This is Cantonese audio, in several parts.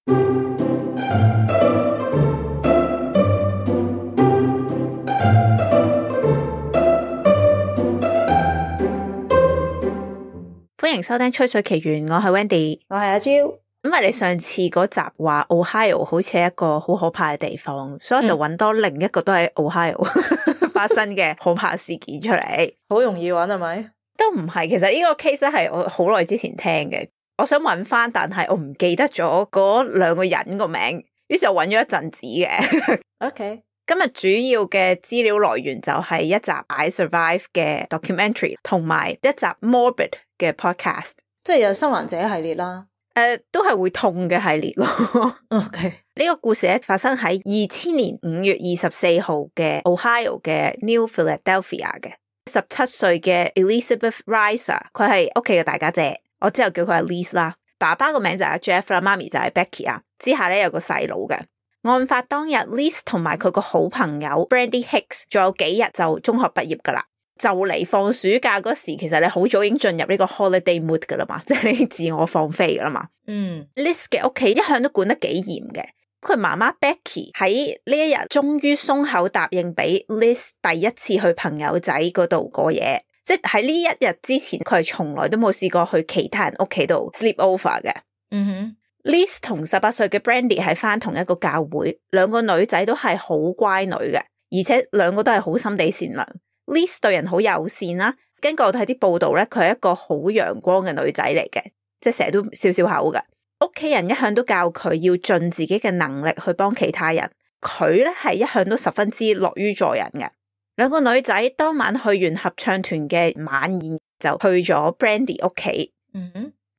歡迎收聽吹水奇緣，我係 Wendy， 我係阿蕉。因為你上次嗰集話 Ohio 好似係一個好可怕嘅地方，所以我就揾多另一個都喺 Ohio 發生嘅可怕事件出嚟。好容易揾係咪？都唔係，其實呢個 case 係我好耐之前聽嘅，我想揾翻，但係我唔記得咗嗰兩個人個名，於是我揾咗一陣子嘅。OK， 今日主要嘅資料來源就係一集 I Survive 嘅 documentary 同埋一集 Morbid 嘅 podcast， 即係有生還者系列啦。都係會痛嘅系列咯。OK， 呢個故事咧發生喺2000年5月24號嘅 Ohio 嘅 New Philadelphia 嘅17歲嘅 Elizabeth Reiser， 佢係屋企嘅大家姐，我之後叫佢阿 Liz 啦。爸爸個名就係阿 Jeff 啦，媽咪就係 Becky 啊。之下咧有個細佬嘅。案發當日 Liz 同埋佢個好朋友 Brandy Hicks 仲有幾日就中學畢業噶啦。就嚟放暑假嗰時，其實你好早已經進入呢個 holiday mood 噶啦嘛，即係你自我放飛噶啦嘛。Liz 嘅屋企一向都管得幾嚴嘅，佢媽媽 Becky 喺呢一日終於鬆口答應俾 Liz 第一次去朋友仔嗰度過夜，即係喺呢一日之前，佢係從來都冇試過去其他人屋企度 sleep over 嘅。Liz 同18歲嘅 Brandy 係返同一個教會，兩個女仔都係好乖女嘅，而且兩個都係好心地善良。Liz 對人好友善啦，根據我睇啲報道咧，佢係一個好陽光嘅女仔嚟嘅，即係成日都笑笑口嘅。屋企人一向都教佢要盡自己嘅能力去幫其他人，佢咧係一向都十分之樂於助人嘅。兩個女仔當晚去完合唱團嘅晚宴，就去咗 Brandy 屋企。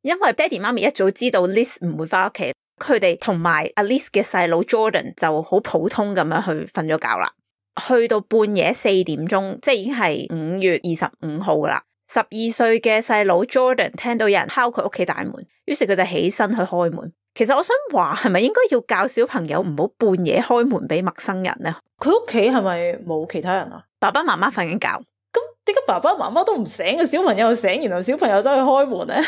因為爹哋媽咪一早知道 Liz 唔會翻屋企，佢哋同埋阿 Liz 嘅細佬 Jordan 就好普通咁樣去瞓咗覺啦。去到半夜4點鐘，即係已經係5月25號啦。12歲嘅細佬 Jordan 聽到有人敲佢屋企大門，於是佢就起身去開門。其實我想話，係咪應該要教小朋友唔好半夜開門俾陌生人呢？佢屋企係咪冇其他人啊？爸爸媽媽瞓緊覺，咁點解爸爸媽媽都唔醒，個小朋友醒，然後小朋友走去開門呢？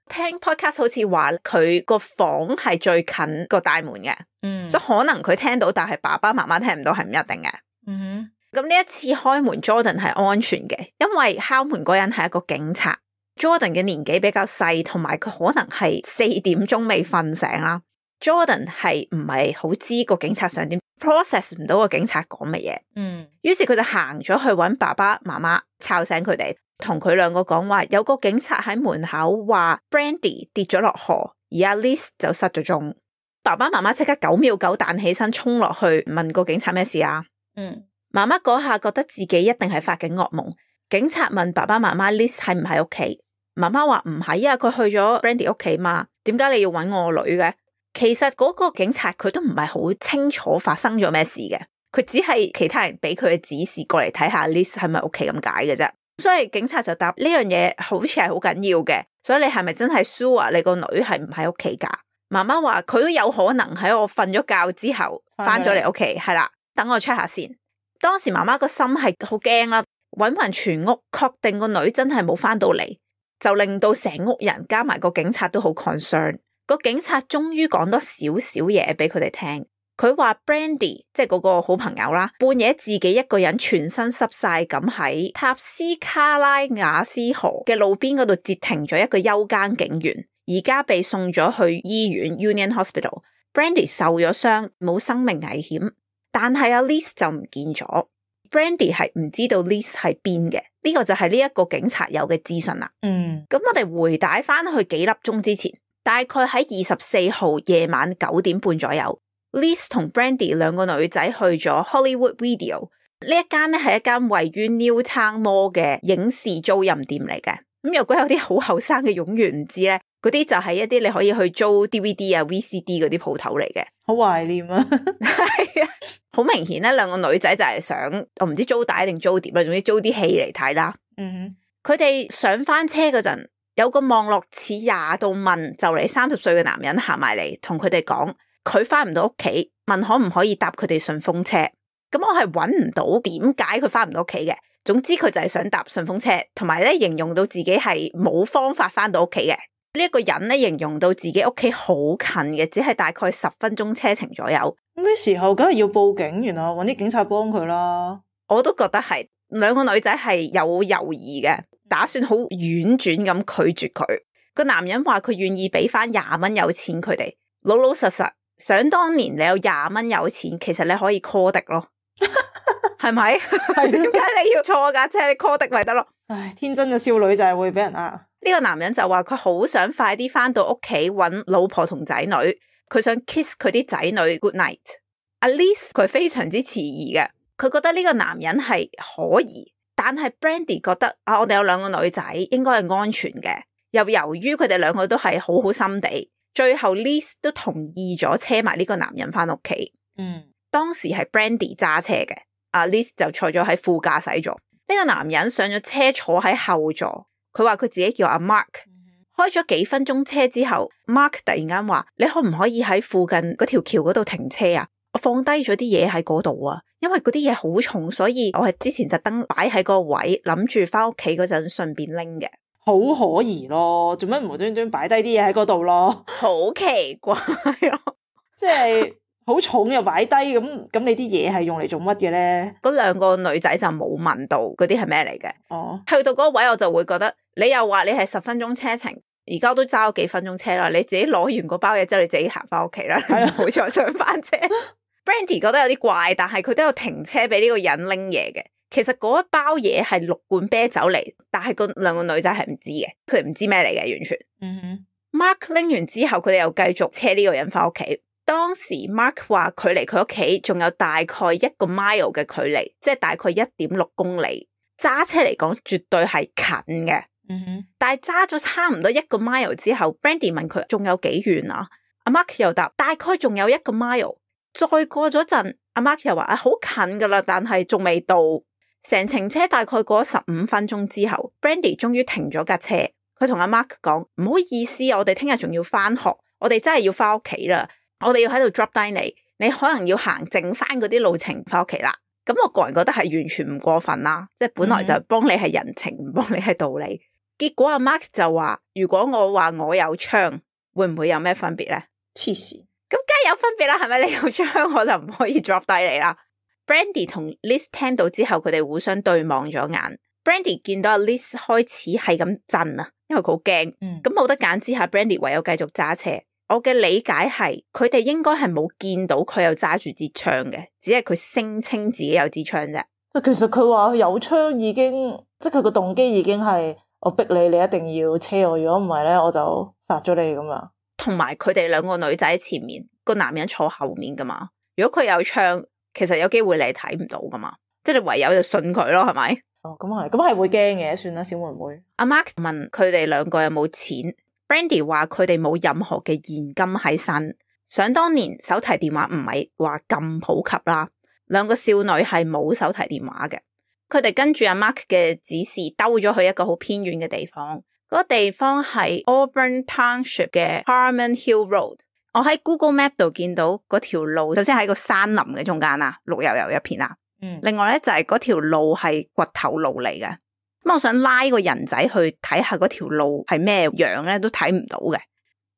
聽 podcast 好似話佢個房係最近個大門嘅，所以可能佢聽到，但係爸爸媽媽聽唔到係唔一定嘅。咁呢一次開門 Jordan 係安全嘅，因為敲門嗰人係一個警察。Jordan 嘅年紀比較細，同埋佢可能係4點鐘未瞓醒啦。Jordan 係唔係好知個警察想點 process 唔到個警察講乜嘢。於是佢就行咗去搵爸爸媽媽，吵醒佢哋，同佢兩個講話有個警察喺門口話 Brandy 跌咗落河，而阿 Liz 就失咗蹤。爸爸媽媽即刻9秒9彈起身衝落去問個警察咩事啊。媽媽嗰下覺得自己一定係發緊噩夢。警察問爸爸媽媽 Liz 喺唔喺屋企，媽媽話唔係啊，佢去咗 Brandy 屋企嘛，點解你要搵我女嘅？其實嗰個警察佢都唔係好清楚發生咗咩事嘅，佢只係其他人俾佢嘅指示過嚟睇下 Liz 係咪屋企咁解嘅啫。所以警察就答呢樣嘢好似係好緊要嘅，所以你係咪真係 sure 你個女係唔喺屋企噶？媽媽話佢都有可能喺我瞓咗覺之後翻咗嚟屋企，係啦，等我 check 下先。當時媽媽個心係好驚啦，搵勻全屋，確定個女真係冇翻到嚟，就令到成屋人加埋個警察都好 concern。個警察終於講多少少嘢俾佢哋聽，佢話 Brandy 即係嗰個好朋友啦，半夜自己一個人全身濕晒咁喺塔斯卡拉雅斯河嘅路邊嗰度截停咗一個休更警員，而家被送咗去醫院 Union Hospital。 Brandy 受咗傷，冇生命危險，但係阿 Liz 就唔見咗。Brandy 係唔知道 Liz 係邊嘅，呢個就係呢一個警察有嘅資訊啦。咁我哋回帶翻去幾粒鐘之前，大概喺24號夜晚9點半左右， Liz 同 Brandy 兩個女仔去咗 Hollywood Video。 呢一間咧係一間位於 Newtown Mall 嘅影視租賃店嚟嘅。咁如果有啲好後生嘅冗員唔知咧，嗰啲就係一啲你可以去租 DVD 啊 VCD 嗰啲鋪頭嚟嘅。好懷念啊。係啊，好明顯咧，兩個女仔就係想我唔知租帶定租碟啦，總之租啲戲嚟睇啦。佢哋上翻車嗰陣，有個望落似廿度問就嚟30歲嘅男人行埋嚟，同佢哋講佢翻唔到屋企，問可唔可以搭佢哋順風車。咁我係搵唔到點解佢翻唔到屋企嘅，總之佢就係想搭順風車，同埋咧形容到自己係冇方法翻到屋企嘅。呢一個人咧形容到自己屋企好近嘅，只係大概10分鐘車程左右。咩時候梗係要報警，然後搵啲警察幫佢啦。我都覺得係兩個女仔係有猶豫嘅，打算好婉轉咁拒絕佢。個男人話佢願意俾翻20蚊有錢佢哋，老老實實。想當年你有20蚊有錢，其實你可以 call 的咯，係咪？係點解你要坐架車？你 call 的咪得咯？唉，天真嘅少女就係會俾人呃。呢個男人就話佢好想快啲翻到屋企搵老婆同仔女，佢想 kiss 佢啲仔女 good night。阿 Liz 佢非常之遲疑嘅，佢覺得呢個男人係可疑，但係 Brandy 覺得啊，我哋有兩個女仔應該係安全嘅，又由於佢哋兩個都係好好心地，最後 Liz 都同意咗車埋呢個男人翻屋企。當時係 Brandy 揸車嘅，阿 Liz 就坐咗喺副駕駛座。呢個男人上咗車坐喺後座，佢話佢自己叫阿 Mark。開咗幾分鐘車之後，Mark 突然間話：你可唔可以喺附近嗰條橋嗰度停車啊？我放低咗啲嘢喺嗰度啊，因為嗰啲嘢好重，所以我係之前特登擺喺個位，諗住翻屋企嗰陣順便拎嘅。好可疑咯，做乜無端端擺低啲嘢喺嗰度咯？好奇怪咯，即係好重又擺低，咁你啲嘢係用嚟做乜嘅咧？嗰兩個女仔就冇問到嗰啲係咩嚟嘅。哦，去到嗰個位我就會覺得，你又話你係10分鐘車程，而家都揸咗幾分鐘車啦，你自己攞完個包嘢之後，你自己行翻屋企啦，係啦，冇再上翻車。Brandy 覺得有啲怪，但係佢都有停車俾呢個人拎嘢嘅。其實嗰一包嘢係6罐啤酒嚟，但係嗰兩個女仔係唔知嘅，佢哋唔知咩嚟嘅完全。Mark 拎完之後，佢哋又繼續車呢個人翻屋企。當時 Mark 話距離佢屋企仲有大概1個 mile 嘅距離，即係大概1.6公里。揸車嚟講絕對係近嘅。但係揸咗差唔多1個 mile 之後 ，Brandy 問佢仲有幾遠啊？阿 Mark 又答大概仲有1個 mile。再過咗陣，阿 Mark 又話好近噶啦，但係仲未到。成程車大概過咗15分鐘之後 ，Brandy 終於停咗架車。佢同阿 Mark 講：唔好意思，我哋聽日仲要翻學，我哋真係要翻屋企啦。我哋要喺度 drop 低你，你可能要行剩翻嗰啲路程翻屋企啦。咁我個人覺得係完全唔過分啦，即係本來就幫你係人情，唔幫你係道理。結果阿 Mark 就話：如果我話我有槍，會唔會有咩分別咧？黐線！咁梗係有分別啦，係咪？你有槍我就唔可以 drop 低你啦。Brandy 同 Liz 聽到之後，佢哋互相對望咗眼。Brandy 見到阿 Liz 開始係咁震啊，因為佢好驚。咁冇得揀之下 Brandy 唯有繼續揸車。我嘅理解係，佢哋應該係冇見到佢有揸住支槍嘅，只係佢聲稱自己有支槍啫。其實佢話有槍已經，即係佢個動機已經係我逼你，你一定要車我，如果唔係咧，我就殺咗你咁樣。同埋佢哋兩個女仔喺前面，個男人坐後面噶嘛。如果佢有槍，其實有機會你係睇唔到噶嘛，即係你唯有就信佢咯，係咪？哦，咁係會驚嘅，算啦，小妹妹。阿 Mark 問佢哋兩個有冇錢 ，Brandy 話佢哋冇任何嘅現金喺身。想當年手提電話唔係話咁普及啦，兩個少女係冇手提電話嘅。佢哋跟住阿 Mark 嘅指示兜咗去一個好偏遠嘅地方，嗰個地方係 Auburn Township 嘅 Harmon Hill Road。我喺 Google Map 度見到嗰條路，首先喺個山林嘅中間啊，綠油油一片啊。另外咧就係嗰條路係掘頭路嚟嘅。咁我想拉個人仔去睇下嗰條路係咩樣咧，都睇唔到嘅。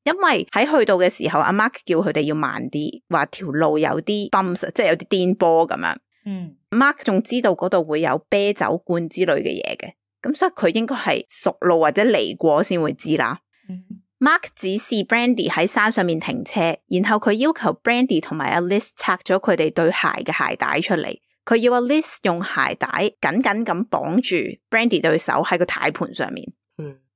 因為喺去到嘅時候，阿 Mark 叫佢哋要慢啲，話條路有啲 bumps， 即係有啲顛簸咁樣。Mark 仲知道嗰度會有啤酒罐之類嘅嘢嘅，咁所以佢應該係熟路或者嚟過先會知啦。Mark 指示 Brandy 喺山上面停車，然後佢要求 Brandy 同埋阿 Liz 拆咗佢哋對鞋嘅鞋帶出嚟。佢要阿 Liz 用鞋帶緊緊咁綁住 Brandy 對手喺個軚盤上面。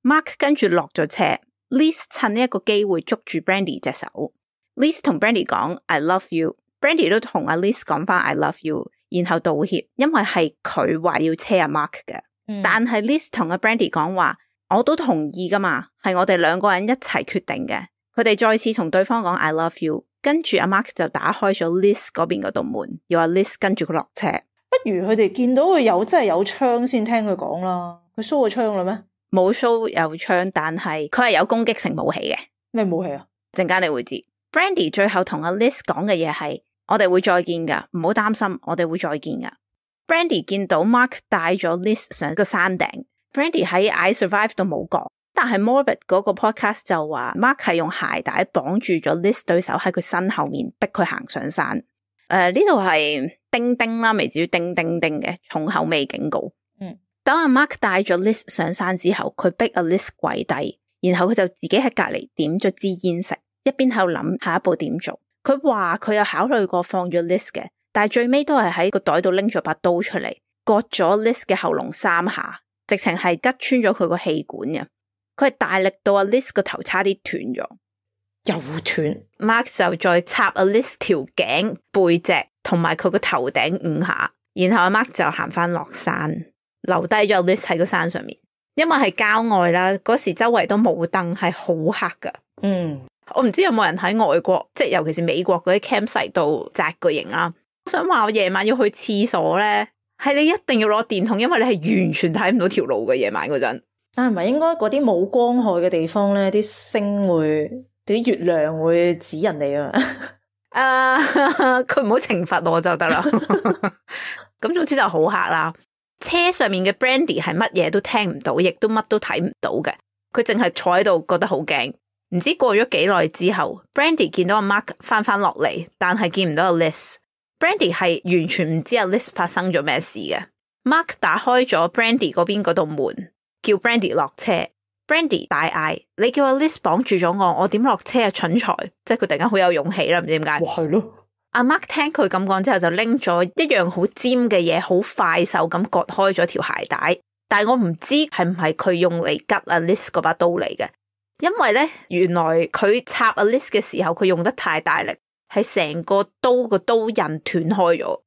Mark 跟住落咗車 ，Liz 趁呢一個機會捉住 Brandy 隻手。Liz 同 Brandy 講 I love you，Brandy 都同阿 Liz 講翻 I love you， 然後道歉，因為係佢話要車阿 Mark 嘅。但係 Liz 同阿 Brandy 講話，我都同意噶嘛，係我哋兩個人一齊決定嘅。佢哋再次同對方講 I love you， 跟住阿 Mark 就打開咗 Liz 嗰邊嗰道門，要阿 Liz 跟住佢落車。不如佢哋見到佢真係有槍先聽佢講啦。佢 show 個槍啦咩？冇 show 有槍，但係佢係有攻擊性武器嘅。咩武器啊？陣間你會知。Brandy 最後同阿 Liz 講嘅嘢係，我哋會再見噶，唔好擔心，我哋會再見噶。Brandy 見到 Mark 帶咗 Liz 上個山頂。Brandy 喺 I survive 都冇講，但但係 Morbid 嗰個 podcast 就話 Mark 係用鞋帶綁住咗 Liz 對手喺佢身後面逼佢行上山。呢度係叮叮啦，未至於叮叮叮嘅重口味警告。當阿 Mark 帶咗 Liz 上山之後，佢逼阿 Liz 跪低，然後佢就自己喺隔籬點咗支煙食，一邊喺度諗下一步點做。佢話佢有考慮過放咗 Liz 嘅，但係最尾都係喺個袋度拎咗把刀出嚟，割咗 Liz 嘅喉嚨3下，直情係拮穿咗佢個氣管嘅。佢係大力到阿 Liz 個頭差啲斷咗，又斷。Mark 就再插阿 Liz 條頸、背脊同埋佢個頭頂5下，然後阿 Mark 就行翻落山，留低咗 Liz 喺個山上面。因為係郊外啦，嗰時周圍都冇燈，係好黑噶。我唔知有冇人喺外國，即係尤其是美國嗰啲 campsite 度紮個營啦。我想話我夜晚要去廁所咧，係你一定要攞電筒，因為你係完全睇唔到條路嘅夜晚嗰陣。但係唔係應該嗰啲冇光害嘅地方咧，啲星會、啲月亮會指人哋啊？佢唔好懲罰我就得啦。咁總之就好黑啦。車上面嘅 Brandy 係乜嘢都聽唔到，亦都乜都睇唔到嘅。佢淨係坐喺度，覺得好驚。唔知過咗幾耐之後 ，Brandy 見到阿 Mark 翻落嚟，但係見唔到阿 Liz。Brandy 係完全唔知阿 Liz 發生咗咩事嘅。Mark 打開咗 Brandy 嗰邊嗰道門，叫 Brandy 落車。Brandy 大嗌：你叫阿 Liz 綁住咗我點落車啊？蠢材！即係佢突然間好有勇氣啦，唔知點解。哇，係咯。阿 Mark 聽佢咁講之後，就拎咗一樣好尖嘅嘢，好快手咁割開咗條鞋帶。但係我唔知係唔係佢用嚟拮阿 Liz 嗰把刀嚟嘅，因為咧原來佢插阿 Liz 嘅時候，佢用得太大力，係成個刀個刀刃斷開咗。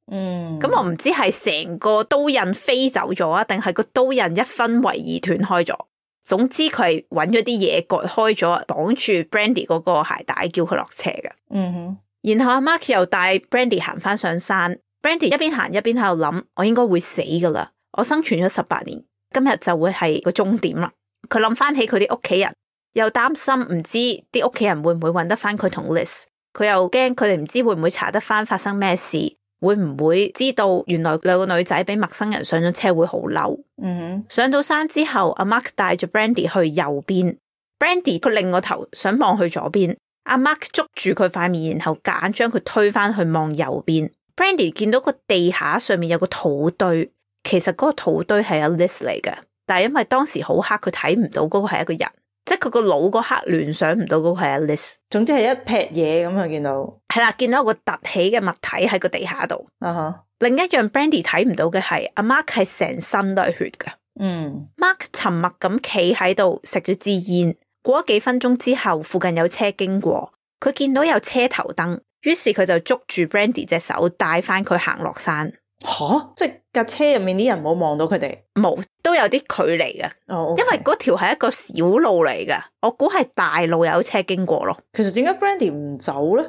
咁我唔知係成個刀刃飛走咗啊，定係個刀刃一分為二斷開咗。總之佢係揾咗啲嘢割開咗，綁住 Brandy 嗰個鞋帶，叫佢落車嘅。然後阿 Mark 又帶 Brandy 行翻上山。Brandy 一邊行一邊喺度諗：我應該會死噶啦！我生存咗18年，今日就會係個終點啦。佢諗翻起佢啲屋企人，又擔心唔知啲屋企人會唔會揾得翻佢同 Liz。佢又驚佢哋唔知會唔會查得翻發生咩事，會唔會知道原來兩個女仔俾陌生人上咗車會好嬲。上到山之後，阿 Mark 帶住 Brandy 去右邊。Brandy 佢擰個頭想望去左邊。阿 Mark 捉住佢塊面，然後夾硬將佢推返去望右邊。Brandy 見到個地下上面有個土堆，其實嗰個土堆係阿 Liz 嚟嘅，但係因為當時好黑，佢睇唔到嗰個係一個人，即係佢個腦嗰刻聯想唔到嗰個係阿 Liz。總之係一劈嘢咁啊！見到係啦，見到有個凸起嘅物體喺個地下度。另一樣 Brandy 睇唔到嘅係阿 Mark 係成身都係血嘅。Mark 沉默咁企喺度食咗支煙。過咗幾分鐘之後，附近有車經過，佢見到有車頭燈，於是佢就捉住 Brandy 隻手，帶翻佢行落山。即係架車入面啲人冇望到佢哋？冇，都有啲距離嘅。因為嗰條係一個小路嚟嘅，我估係大路有車經過咯。其實點解 Brandy 唔走咧？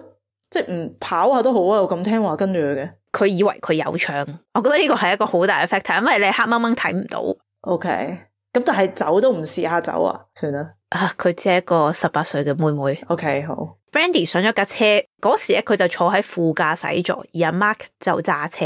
即係唔跑下都好啊，我咁聽話跟住佢嘅。佢以為佢有槍，我覺得呢個係一個好大嘅 factor，因為你黑掹掹睇唔到。咁但係走都唔試下走啊？算啦。佢只係一個18歲嘅妹妹。好。Brandy 上咗架車嗰時咧，佢就坐喺副駕駛座，而阿 Mark 就揸車。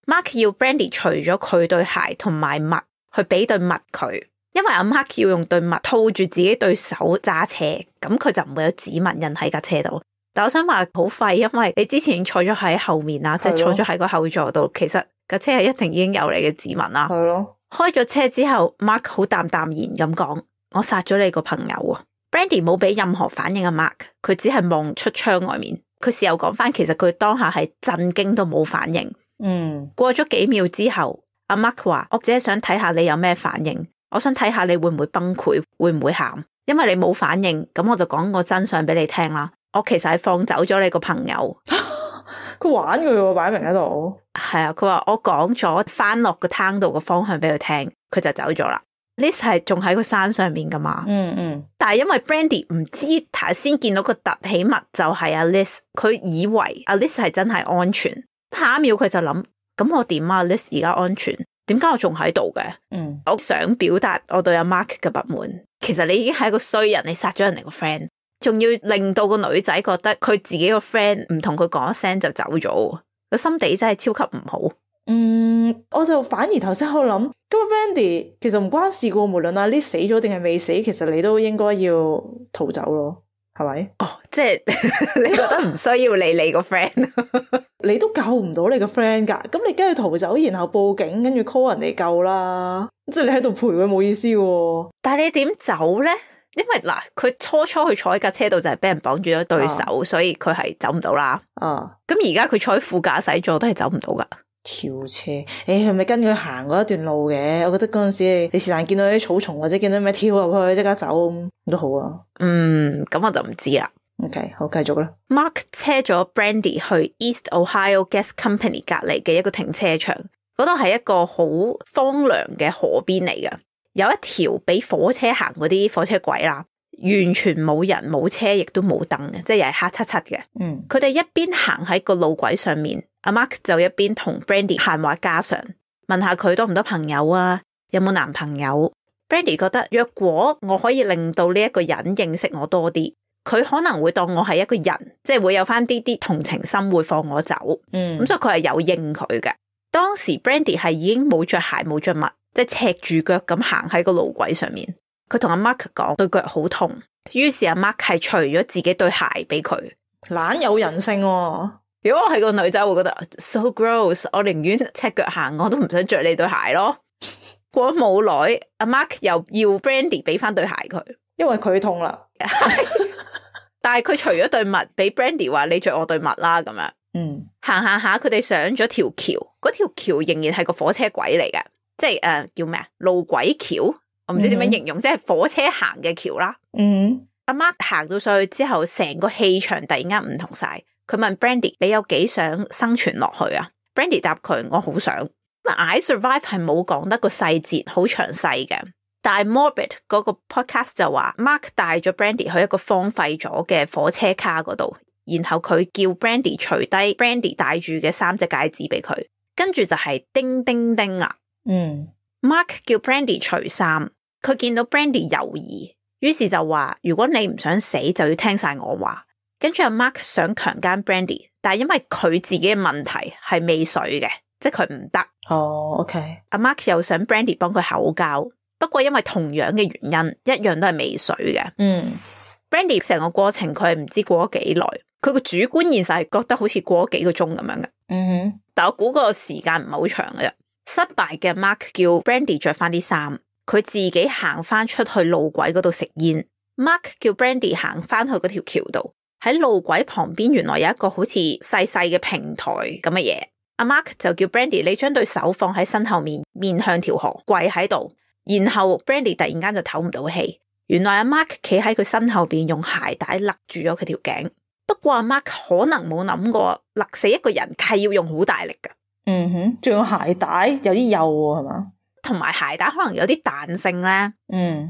Mark 要 Brandy 除咗佢對鞋同埋襪，去俾對襪佢，因為阿 Mark 要用對襪套住自己對手揸車，咁佢就唔會有指紋印喺架車度。但我想話好廢，因為你之前坐咗喺後面啦，即係坐咗喺個後座度，其實架車係一定已經有你嘅指紋啦。開咗車之後 ，Mark 好淡淡然咁講：我殺咗你個朋友啊！ Brandy 冇俾任何反應啊 ，Mark 佢只係望出窗外面。佢事後講翻，其實佢當下係震驚都冇反應。過咗幾秒之後，阿 Mark 話：我只係想睇下你有咩反應，我想睇下你會唔會崩潰，會唔會喊？因為你冇反應，咁我就講個真相俾你聽啦。我其實係放走咗你個朋友。佢玩佢喎，擺明喺度。係啊，佢話我講咗翻落個灘度個方向俾佢聽，佢就走咗啦。Liz 係仲喺個山上面噶嘛？但係因為 Brandy 唔知頭先見到個凸起物就係阿 Liz， 佢以為阿 Liz 係真係安全。下一秒佢就諗：咁我點啊 ？Liz 而家安全，點解我仲喺度嘅？我想表達我對阿 Mark 嘅不滿。其實你已經係一個衰人，你殺咗人哋個 friend。仲要令到個女仔覺得佢自己個 friend 唔同佢講一聲就走咗，個心地真係超級唔好。我就反而頭先喺度諗，咁 Brandy 其實唔關事噶，無論阿 Liz 死咗定係未死，其實你都應該要逃走咯，係咪？哦，即係你覺得唔需要理你個 friend， 你都救唔到你個 friend 噶，咁你梗係逃走，然後報警，跟住 call 人哋救啦，即係你喺度陪佢冇意思喎。但係你點走咧？因為嗱，佢初去坐喺架車度就係俾人綁住咗對手，所以佢係走唔到啦。咁而家佢坐喺副駕駛座都係走唔到噶。跳車，係咪跟佢行嗰一段路嘅？我覺得嗰陣時你是但見到啲草叢或者見到咩跳入去即刻走都好啊。咁我就唔知啦。OK， 好，繼續啦。Mark 車咗 Brandy 去 East Ohio Gas Company 隔籬嘅一個停車場，嗰度係一個好荒涼嘅河邊嚟嘅。有一條俾火車行嗰啲火車軌啦，完全冇人冇車，亦都冇燈嘅，即係又係黑漆漆嘅。佢哋一邊行喺個路軌上面，阿 Mark 就一邊同 Brandy 閒話家常，問下佢多唔多朋友啊，有冇男朋友。Brandy 覺得若果我可以令到呢一個人認識我多啲，佢可能會當我係一個人，即係會有翻啲同情心，會放我走。咁所以佢係有應佢嘅。當時 Brandy 係已經冇着鞋冇着襪，即係赤住腳咁行喺個路軌上面。佢同阿 Mark 講對腳好痛，於是阿 Mark 係除咗自己對鞋俾佢，懶有人性喎。如果我係個女仔會覺得 so gross， 我寧願赤腳行，我都唔想着你對鞋咯。過咗冇耐，阿 Mark 又要 Brandy 俾翻對鞋佢，因為佢痛啦。但係佢除咗對襪俾 Brandy 話你着我對襪啦咁樣。行下佢哋上咗條橋，嗰條橋仍然係個火車軌嚟嘅，即係叫咩啊？路軌橋，我唔知點樣形容，即係火車行嘅橋啦。阿 Mark 行到上去之後，成個氣場突然間唔同晒。佢問 Brandy 你有幾想生存落去啊？ Brandy 答佢我好想。I Survive 係冇講得個細節好詳細嘅，但係 Morbid 嗰個 podcast 就話 Mark 帶咗 Brandy 去一個荒廢咗嘅火車卡嗰度，然後佢叫 Brandy 除低 Brandy 戴住嘅3隻戒指俾佢，跟住就係叮叮叮啊。Mark 叫 Brandy 除衫，佢見到 Brandy 猶豫，於是就話如果你唔想死就要聽晒我話。跟住阿 Mark 想強姦 Brandy， 但係因為佢自己嘅問題係未水嘅，即係佢唔得。OK。阿 Mark 又想 Brandy 幫佢口交，不過因為同樣嘅原因，一樣都係未水嘅。Brandy 成個過程佢係唔知過咗幾耐，佢個主觀現實係覺得好似過咗幾個鐘咁樣嘅。但我估個時間唔係好長嘅啫。失敗嘅 Mark 叫 Brandy 着翻啲衫，佢自己行翻出去路軌嗰度食煙。Mark 叫 Brandy 行翻去嗰條橋度。喺路軌旁邊原來有一個好似細細嘅平台咁嘅嘢，阿 Mark 就叫 Brandy 你將對手放喺身後面，面向條河跪喺度，然後 Brandy 突然間就唞唔到氣，原來阿 Mark 企喺佢身後邊用鞋帶勒住咗佢條頸，不過阿 Mark 可能冇諗過勒死一個人係要用好大力噶。仲有鞋帶有啲幼喎係嘛，同埋鞋帶可能有啲彈性咧，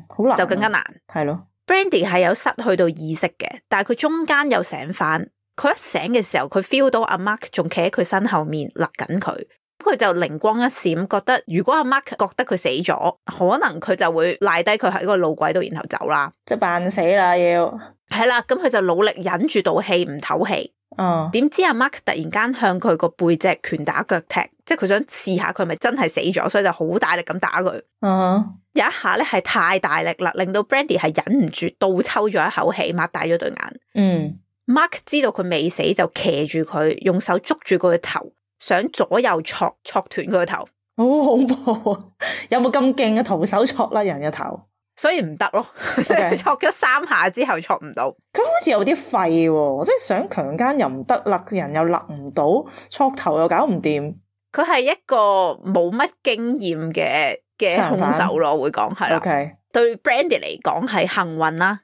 好難就更加難，係咯。Brandy 係有失去到意識嘅，但係佢中間又醒翻。佢一醒嘅時候，佢 feel 到阿 Mark 仲企喺佢身後面勒緊佢，佢就靈光一閃，覺得如果阿 Mark 覺得佢死咗，可能佢就會賴低佢喺個路軌度，然後走啦，即係扮死啦要。係啦，咁佢就努力忍住道氣唔唞氣。點知阿 Mark 突然間向佢個背脊拳打腳踢，即係佢想試下佢係咪真係死咗，所以就好大力咁打佢。有一下咧係太大力啦，令到 Brandy 係忍唔住倒抽咗一口氣，擘大咗對眼。Mark 知道佢未死，就騎住佢，用手捉住佢嘅頭，想左右戳斷佢個頭。好恐怖啊！有冇咁勁嘅徒手戳甩人嘅頭？所以唔得咯，戳咗3下之後戳唔到。佢好似有啲廢喎，即係想強姦又唔得，勒人又勒唔到，戳頭又搞唔掂。佢係一個冇乜經驗嘅兇手咯，會講係啦。Okay. 對 Brandy 嚟講係幸運啦。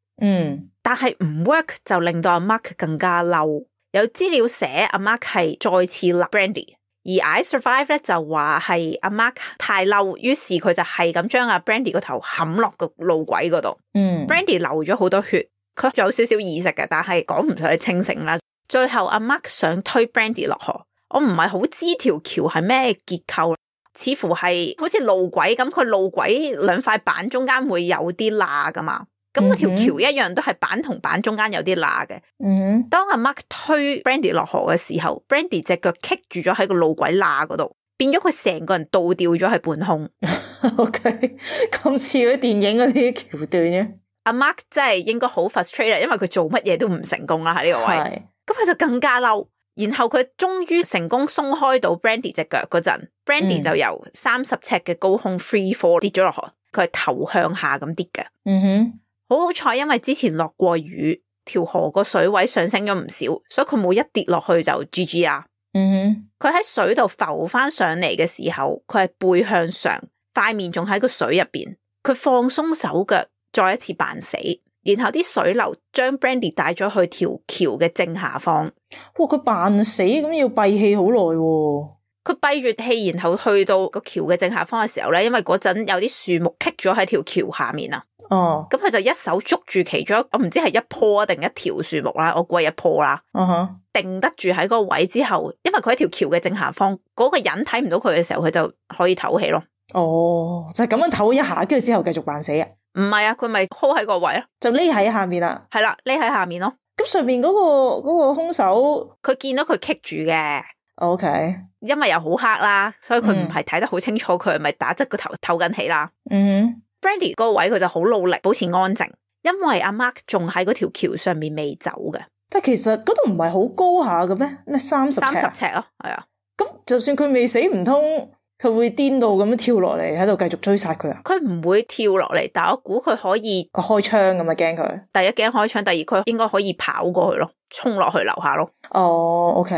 但係唔 work 就令到阿 Mark 更加嬲。有資料寫阿 Mark 係再次勒 Brandy， 而 I Survive 咧就話係阿 Mark 太嬲，於是佢就係咁將阿 Brandy 個頭冚落個路軌嗰度。Brandy 流咗好多血，佢有少少意識嘅，但係講唔上去清醒啦。最後阿 Mark 想推 Brandy 落河，我唔係好知條橋係咩結構，似乎係好似路軌咁，佢路軌2塊板中間會有啲罅噶嘛。咁嗰條橋一樣都係板同板中間有啲罅嘅。當阿 Mark 推 Brandy 落河嘅時候，Brandy 隻腳棘住咗喺個路軌罅嗰度，變咗佢成個人倒吊咗喺半空。OK， 咁似嗰啲電影嗰啲橋段嘅。阿 Mark 真係應該好 frustrated，因為佢做乜嘢都唔成功啦喺呢個位。咁佢就更加嬲，然後佢終於成功鬆開到 Brandy 隻腳嗰陣，Brandy 就由30尺嘅高空 free fall 跌咗落河，佢係頭向下咁跌嘅。好彩，因為之前落過雨，條河個水位上升咗唔少，所以佢冇一跌落去就 GG 啦。佢喺水度浮翻上嚟嘅時候，佢係背向上，塊面仲喺個水入邊，佢放鬆手腳，再一次扮死。然後啲水流將 Brandy 帶咗去條橋嘅正下方。哇！佢扮死咁要閉氣好耐喎。佢閉住氣，然後去到個橋嘅正下方嘅時候咧，因為嗰陣有啲樹木棘咗喺條橋下面啊。咁佢就一手捉住其中，我唔知係一棵定一條樹木啦，我估係一棵啦。定得住喺嗰個位之後，因為佢喺條橋嘅正下方，嗰個人睇唔到佢嘅時候，佢就可以唞氣咯。就係咁樣唞一下，跟住之後繼續扮死啊？唔係啊，佢咪 hold 喺個位咯，就匿喺下面啦。係啦，匿喺下面咯。咁上面嗰個兇手，佢見到佢棘住嘅。OK， 因為又好黑啦，所以佢唔係睇得好清楚，佢係咪打側個頭唞緊氣啦。Brandy 嗰個位佢就好努力保持安靜，因為阿 Mark 仲喺嗰條橋上面未走嘅。但其實嗰度唔係好高下嘅咩？咩30尺咯，係啊。咁就算佢未死，唔通佢會癲到咁樣跳落嚟喺度繼續追殺佢啊？佢唔會跳落嚟，但我估佢可以開槍咁啊，驚佢。第一驚開槍，第二佢應該可以跑過去咯，衝落去樓下咯。OK。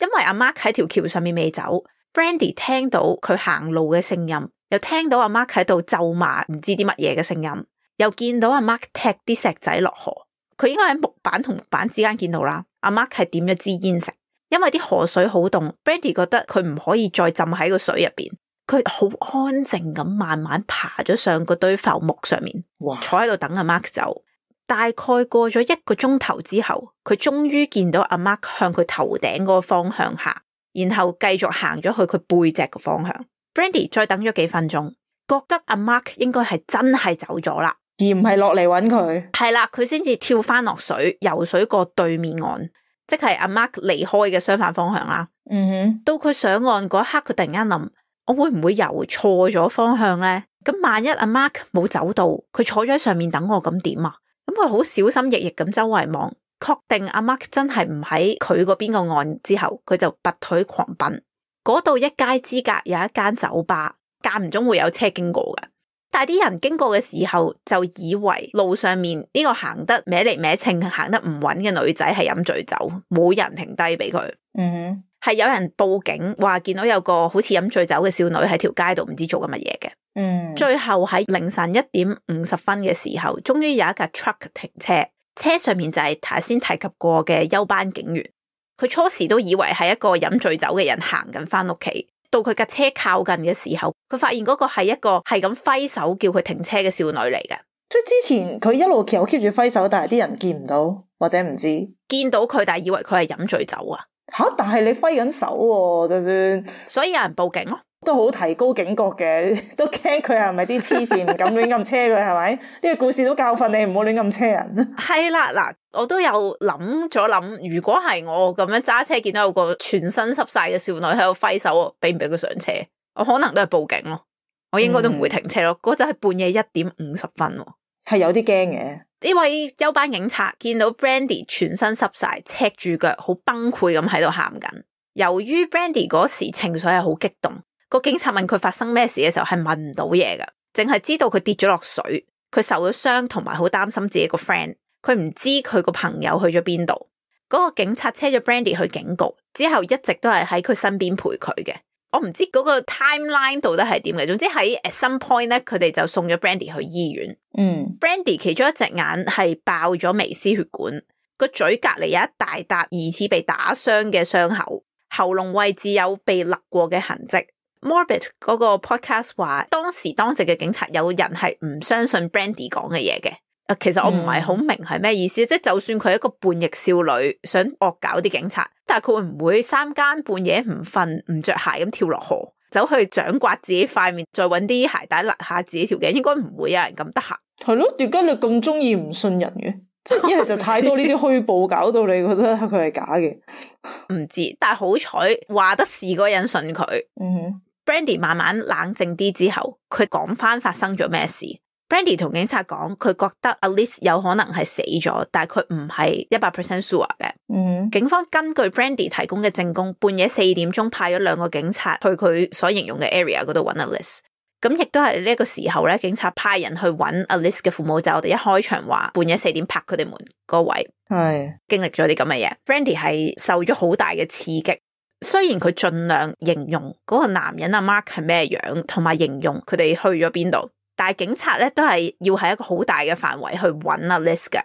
因為阿 Mark 喺條橋上面未走 ，Brandy 聽到佢行路嘅聲音，又聽到阿 Mark 喺度咒罵唔知啲乜嘢嘅聲音，又見到阿 Mark 踢啲石仔落河。佢應該喺木板同木板之間見到啦。阿 Mark 係點咗支煙食，因為啲河水好凍 ，Brandy 覺得佢唔可以再浸喺個水入邊，佢好安靜咁慢慢爬咗上嗰堆浮木上面，坐喺度等阿 Mark 走。大概過咗1個鐘頭之後，佢終於見到阿 Mark 向佢頭頂嗰個方向行，然後繼續行咗去佢背脊個方向。Brandy 再等咗幾分鐘，覺得阿 Mark 應該係真係走咗啦，而唔係落嚟揾佢。係啦，佢先至跳翻落水，游水過對面岸，即係阿 Mark 離開嘅相反方向啦。到佢上岸嗰一刻，佢突然間諗：我會唔會游錯咗方向呢？咁萬一阿 Mark 冇走到，佢坐咗喺上面等我，咁點啊？咁佢好小心翼翼咁周圍望，確定阿 Mark 真係唔喺佢嗰邊個岸之後，佢就拔腿狂奔。嗰度一街之隔有一間酒吧，間唔中會有車經過嘅，但係啲人經過嘅時候就以為路上面呢個行得歪嚟歪稱、行得唔穩嘅女仔係飲醉酒，冇人停低俾佢。係有人報警話見到有個好似飲醉酒嘅少女喺條街度唔知做緊乜嘢嘅。最後喺凌晨1點50分嘅時候，終於有一架 truck 停車，車上面就係頭先提及過嘅休班警員。佢初時都以為係一個飲醉酒嘅人行緊翻屋企，到佢架車靠近嘅時候，佢發現嗰個係一個係咁揮手叫佢停車嘅少女嚟嘅。即係之前佢一路有 keep 住揮手，但係啲人見唔到或者唔知見到佢，但係以為佢係飲醉酒啊。但係你揮緊手喎，就算，所以有人報警咯。都好提高警覺嘅，都驚佢係咪啲黐線唔敢亂咁車佢，係咪？呢個故事都教訓你唔好亂咁車人。係啦，嗱，我都有諗咗諗，如果係我咁樣揸車見到有個全身濕晒嘅少女喺度揮手，俾唔俾佢上車？我可能都係報警咯，我應該都唔會停車咯。嗰陣係半夜1點50分，係有啲驚嘅。呢位休班警察見到 Brandy 全身濕晒，赤住腳，好崩潰咁喺度喊緊。由於 Brandy 嗰時情緒係好激動，個警察問佢發生咩事嘅時候係問唔到嘢㗎，淨係知道佢跌咗落水，佢受咗傷，同埋好擔心自己個 friend。佢唔知佢個朋友去咗邊度。嗰個警察車咗 Brandy 去警局之後，一直都係喺佢身邊陪佢嘅。我唔知嗰個 timeline 到底係點嘅，總之喺 at some point 咧，佢哋就送咗 Brandy 去醫院。Brandy 其中一隻眼係爆咗微絲血管，個嘴隔籬有一大笪疑似被打傷嘅傷口，喉嚨位置有被勒過嘅痕跡。Morbid 嗰個 podcast 話，當時當值嘅警察有人係唔相信 Brandy 講嘅嘢嘅。其實我唔係好明係咩意思，即係就算佢係一個叛逆少女，想惡搞啲警察，但係佢會唔會3更半夜唔瞓唔着鞋咁跳落河，走去掌摑自己塊面，再搵啲鞋帶勒下自己條頸？應該唔會有人咁得閒。係咯，點解你咁中意唔信人嘅？即係一係就太多呢啲虛報，搞到你覺得佢係假嘅。唔知，但係好彩話得事嗰個人信佢。Brandy 慢慢冷靜啲之後，佢講翻發生咗咩事。Brandy 同警察講，佢覺得 Alice 有可能係死咗，但係佢唔係100% sure 嘅。警方根據 Brandy 提供嘅證供，半夜4點鐘派咗2個警察去佢所形容嘅 area 嗰度揾 Alice。咁亦都係呢個時候咧，警察派人去揾 Alice 嘅父母，就我哋一開場話半夜4點拍佢哋門嗰位，係經歷咗啲咁嘅嘢。Brandy 係受咗好大嘅刺激。雖然佢盡量形容嗰個男人阿 Mark 係咩樣，同埋形容佢哋去咗邊度，但係警察咧都係要喺一個好大嘅範圍去揾阿 Alice 嘅。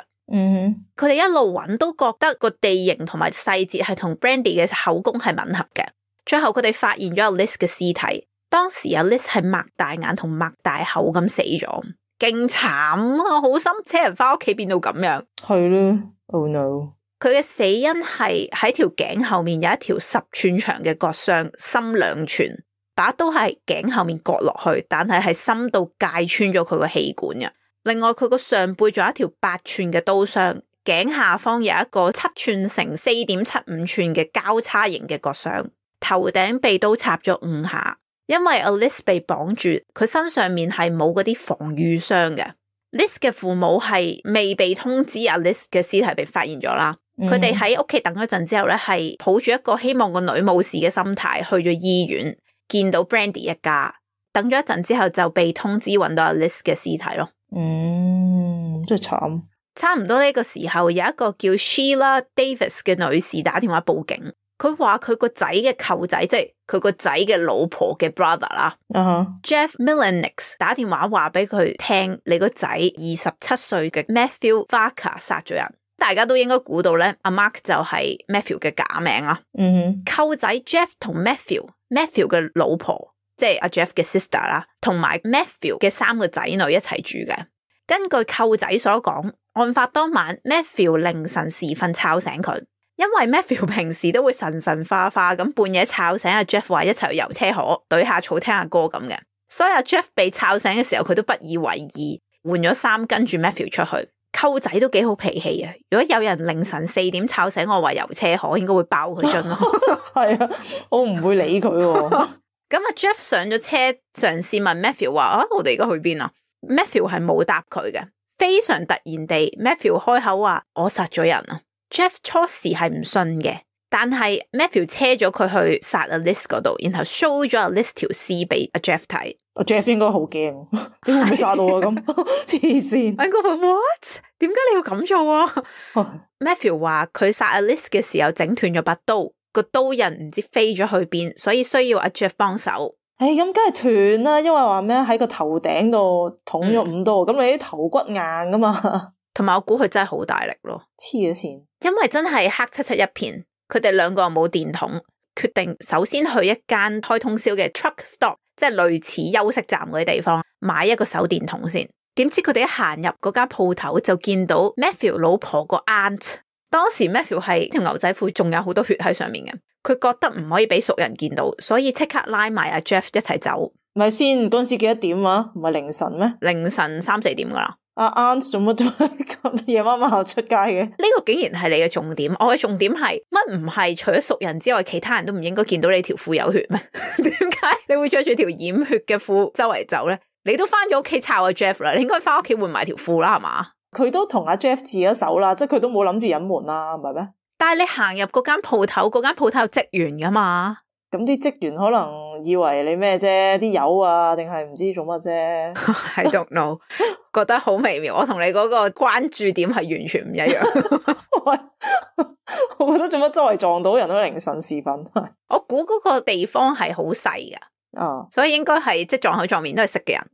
佢哋一路揾都覺得個地形同埋細節係同 Brandy 嘅口供係吻合嘅。最後佢哋發現咗阿 Alice 嘅屍體，當時阿 Alice係擘大眼同擘大口咁死咗，勁慘啊！好心車人翻屋企變到咁樣，係咯 ，Oh no！佢嘅死因係喺條頸後面有一條10寸長嘅割傷，深2寸，把刀係頸後面割落去，但係深到界穿咗佢個氣管嘅。另外佢個上背仲有一條8寸嘅刀傷，頸下方有一個7寸乘4.75寸嘅交叉型嘅割傷，頭頂被刀插咗5下。因為 Alice 被綁住，佢身上面係冇嗰啲防禦傷嘅。Liz 嘅父母係未被通知Alice 嘅屍體被發現咗啦。佢哋喺屋企等咗陣之後咧，係抱住一個希望個女冇事嘅心態去咗醫院，見到 Brandy 一家。等咗一陣之後就被通知揾到 Alice 嘅屍體咯。真係慘。差唔多呢個時候，有一個叫 Sheila Davis 嘅女士打電話報警，佢話佢個仔嘅舅仔，即係佢個仔嘅老婆嘅 brother 啦。Jeff Milenix 打電話話俾佢聽，你個仔27歲嘅 Matthew Varka 殺咗人。大家都應該估到咧，阿 Mark 就係 Matthew 嘅假名啦。舅仔 Jeff 同 Matthew 嘅老婆，即係阿 Jeff 嘅 sister 啦，同埋 Matthew 嘅3個仔女一齊住嘅。根據舅仔所講，案發當晚 Matthew 凌晨時分吵醒佢，因為 Matthew 平時都會神神化化咁半夜吵醒阿 Jeff 話一齊去遊車河對下草聽下歌咁嘅，所以阿 Jeff 被吵醒嘅時候佢都不以為意，換咗衫跟住 Matthew 出去。舅仔都幾好脾氣啊！如果有人凌晨4點吵醒我話遊車河，應該會爆佢樽咯。係啊，我唔會理佢。咁阿 Jeff 上咗車，嘗試問 Matthew 話我哋而家去邊啊？ Matthew 係冇答佢嘅。非常突然地 Matthew 開口話我殺咗人啊。Jeff 初時係唔信嘅，但係 Matthew 車咗佢去殺 Alice 嗰度，然後 show 咗 Alice 條屍俾阿 Jeff 睇。阿 Jeff 應該好驚，點會唔會殺到啊？咁黐線！我話 What？ 點解你要咁做啊？Matthew 話佢殺 Alice 嘅時候整斷咗把刀，個刀刃唔知飛咗去邊，所以需要阿 Jeff 幫手。咁梗係斷啦，因為話咩喺個頭頂度捅咗5刀，咁你啲頭骨硬噶嘛。同埋我估佢真係好大力咯，黐咗線。因為真係黑漆漆一片，佢哋2個又冇電筒，決定首先去一間開通宵嘅 truck stop， 即係類似休息站嗰啲地方，買一個手電筒先。點知佢哋一行入嗰間鋪頭就見到 Matthew 老婆個 aunt。當時 Matthew 係條牛仔褲仲有好多血喺上面嘅，佢覺得唔可以俾熟人見到，所以即刻拉埋阿 Jeff 一齊走。咪先，嗰陣時幾多點啊？唔係凌晨咩？凌晨3-4點噶啦。阿 aunt 做乜咁夜媽媽出街嘅？呢個竟然係你嘅重點，我嘅重點係乜唔係除咗熟人之外，其他人都唔應該見到你條褲有血咩？點解你會着住條染血嘅褲周圍走咧？你都翻咗屋企抄阿 Jeff 啦，你應該翻屋企換埋條褲啦，係嘛？佢都同阿 Jeff 自咗手啦，即係佢都冇諗住隱瞞啦，唔係咩？但係你行入嗰間鋪頭，嗰間鋪頭有職員噶嘛？咁啲職員可能以為你咩啫？啲友啊，定係唔知做乜啫？I don't know， 覺得好微妙。我同你嗰個關注點係完全唔一樣。我覺得做乜周圍撞到人都凌晨時分。我估嗰個地方係好細噶。所以應該係即撞口撞面都係識嘅人。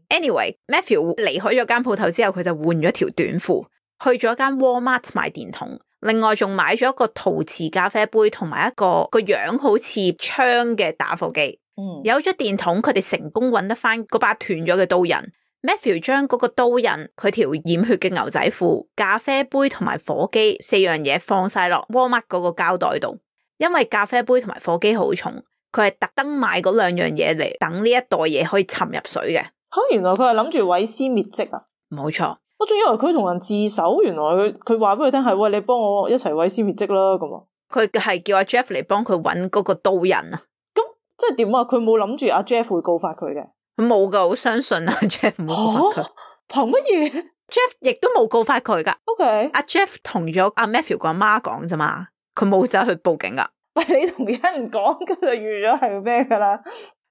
Anyway，Matthew 離開咗間鋪頭之後，佢就換咗條短褲，去咗間 Walmart 買電筒，另外仲買咗一個陶瓷咖啡杯同埋一個樣好似槍嘅打火機。有咗電筒，佢哋成功揾得翻嗰把斷咗嘅刀刃。Matthew 將嗰個刀刃、佢條染血嘅牛仔褲、咖啡杯同埋火機4樣嘢放晒落 Walmart 嗰個膠袋度，因為咖啡杯同埋火機好重。佢係特登買嗰2樣嘢嚟等呢一袋嘢可以沉入水嘅。原來佢係諗住毀屍滅跡啊？冇錯。我仲以為佢同人自首，原來佢話俾佢聽係，喂，你幫我一齊毀屍滅跡啦咁啊！佢係叫阿 Jeff 嚟幫佢搵嗰個刀人啊！咁即係點啊？佢冇諗住阿 Jeff 會告發佢嘅，佢冇噶，好相信阿 Jeff 唔會告發佢。憑乜嘢？Jeff 亦都冇告發佢噶。OK，阿 Jeff 同咗阿 Matthew 個阿媽講啫嘛，佢冇走去報警噶。喂，你同人講，咁就預咗係咩噶啦？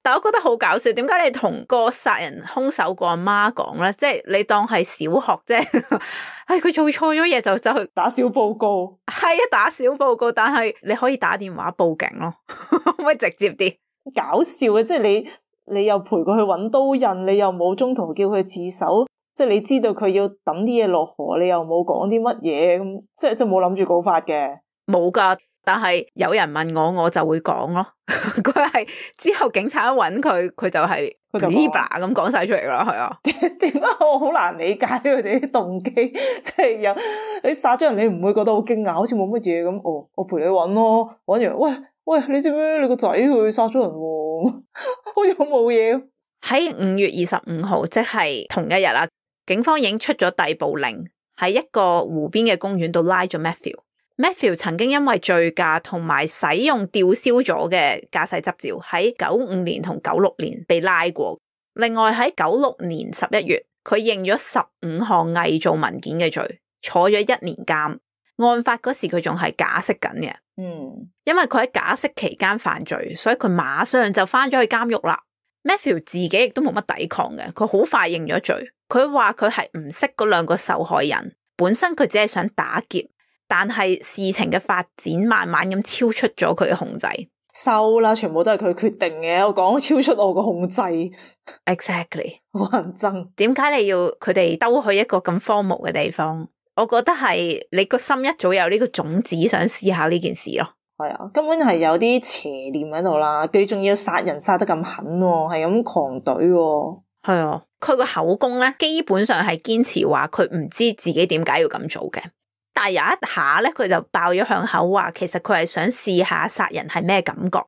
但我覺得好搞笑，點解你同個殺人兇手個阿媽講咧？即係你當係小學啫，係佢做錯咗嘢就走去打小報告，係啊，打小報告，但係你可以打電話報警咯，可唔可以直接啲？搞笑嘅，即係你又陪佢去搵刀刃，你又冇中途叫佢自首，即係你知道佢要抌啲嘢落河，你又冇講啲乜嘢咁，即係冇諗住告發嘅，冇噶。但係有人問我就會講咯。佢係之後警察一揾佢，佢就係Libra咁講晒出嚟啦，係啊。點解我好難理解佢哋啲動機？即係有你殺咗人，你唔會覺得好驚訝，好似冇乜嘢咁。哦，我陪你揾咯，揾完喂，你知唔知你個仔佢殺咗人喎？好似好冇嘢。喺5月25號，即係同一日啦，警方已經出咗逮捕令，喺一個湖邊嘅公園度拉咗 Matthew。Matthew 曾經因為醉駕同埋使用吊銷咗嘅駕駛執照，喺95年同96年被拉過。另外喺96年11月，佢認咗15項偽造文件嘅罪，坐咗1年監。案發嗰時佢仲係假釋緊嘅，因為佢喺假釋期間犯罪，所以佢馬上就翻咗去監獄啦。Matthew 自己亦都冇乜抵抗嘅，佢好快認咗罪。佢話佢係唔識嗰2個受害人，本身佢只係想打劫。但係事情嘅發展慢慢咁超出咗佢嘅控制，收啦，全部都係佢決定嘅。我講超出我個控制 ，exactly， 好人憎。點解你要佢哋兜去一個咁荒蕪嘅地方？我覺得係你個心一早有呢個種子，想試下呢件事咯。係啊，根本係有啲邪念喺度啦。佢仲要殺人殺得咁狠，係咁狂懟。係啊，佢個口供咧，基本上係堅持話佢唔知自己點解要咁做嘅。但係有一下咧，佢就爆咗響口話，其實佢係想試下殺人係咩感覺。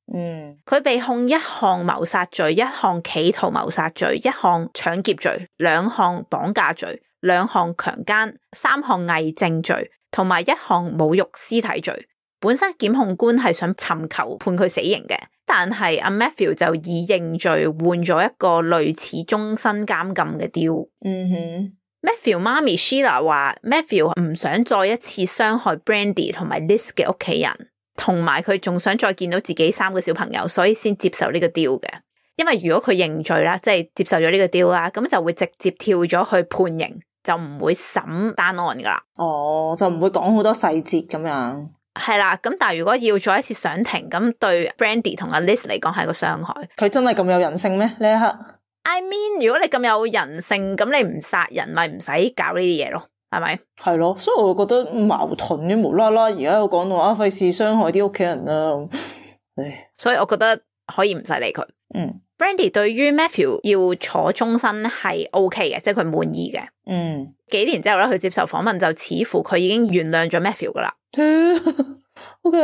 佢被控1項謀殺罪、1項企圖謀殺罪、1項搶劫罪、2項綁架罪、2項強姦、3項偽證罪，同埋1項侮辱屍體罪。本身檢控官係想尋求判佢死刑嘅，但係阿 Matthew 就以認罪換咗一個類似終身監禁嘅 deal。Matthew 媽咪 Sheila 話 Matthew 唔想再一次傷害 Brandy 同埋 Liz 嘅屋企人，同埋佢仲想再見到自己3個小朋友，所以先接受呢個 deal 嘅。因為如果佢認罪啦，即係接受咗呢個 deal 啦，咁就會直接跳咗去判刑，就唔會審單案噶啦。哦，就唔會講好多細節咁樣。係啦，咁但係如果要再一次上庭，咁對 Brandy 同阿 Liz 嚟講係個傷害。佢真係咁有人性咩？呢一刻？I mean， 如果你咁有人性，咁你唔殺人咪唔使搞呢啲嘢咯，係咪？係咯，所以我覺得矛盾嘅，無啦啦而家又講到費事傷害啲屋企人啦。所以我覺得可以唔使理佢。Brandy 對於 Matthew 要坐終身係 OK 嘅，即係佢滿意嘅。幾年之後咧，佢接受訪問就似乎佢已經原諒咗 Matthew 噶啦。OK，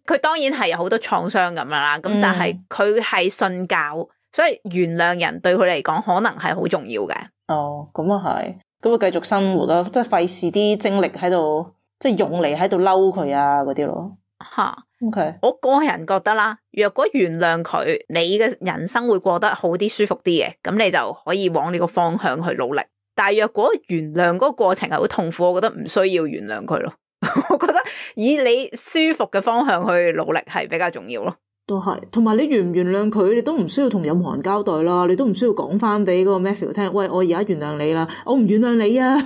佢當然係有好多創傷咁樣啦，咁但係佢係信教，所以原諒人對佢嚟講可能係好重要嘅。哦，咁啊係，咁啊繼續生活啦，即係費事啲精力喺度，即係用嚟喺度嬲佢啊嗰啲咯。吓，OK，我個人覺得啦，若果原諒佢，你嘅人生會過得好啲、舒服啲嘅，咁你就可以往呢個方向去努力。但係若果原諒嗰個過程係好痛苦，我覺得唔需要原諒佢咯。我覺得以你舒服嘅方向去努力係比較重要咯。都係，同埋你原唔原諒佢，你都唔需要同任何人交代啦，你都唔需要講翻俾嗰個 Matthew 聽，喂，我而家原諒你啦，我唔原諒你啊。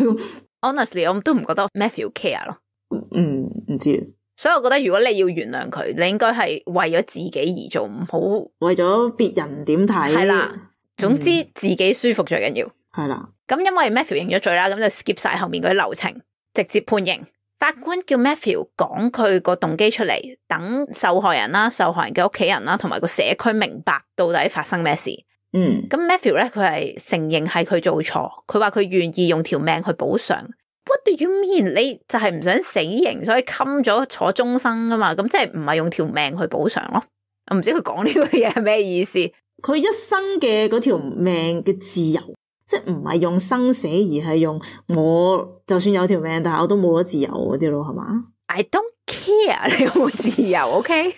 Honestly， 我都唔覺得 Matthew care 咯。唔知。所以我覺得如果你要原諒佢，你應該係為咗自己而做，唔好為咗別人點睇。係啦，總之自己舒服最緊要。係啦，咁因為 Matthew 認咗罪啦，咁就 skip 晒後面嗰啲流程，直接判刑。法官叫 Matthew 講佢個動機出嚟，等受害人啦、受害人嘅屋企人啦，同埋個社區明白到底發生咩事。咁 Matthew 咧，佢係承認係佢做錯，佢話佢願意用條命去補償。What do you mean？ 你就係唔想死刑，所以冚咗坐終生噶嘛？咁即係唔係用條命去補償咯？我唔知佢講呢個嘢係咩意思。佢一生嘅嗰條命嘅自由即係唔係用生死，而係用我就算有條命，但係我都冇咗自由嗰啲咯，係嘛？ I don't care 你有冇自由 ，OK？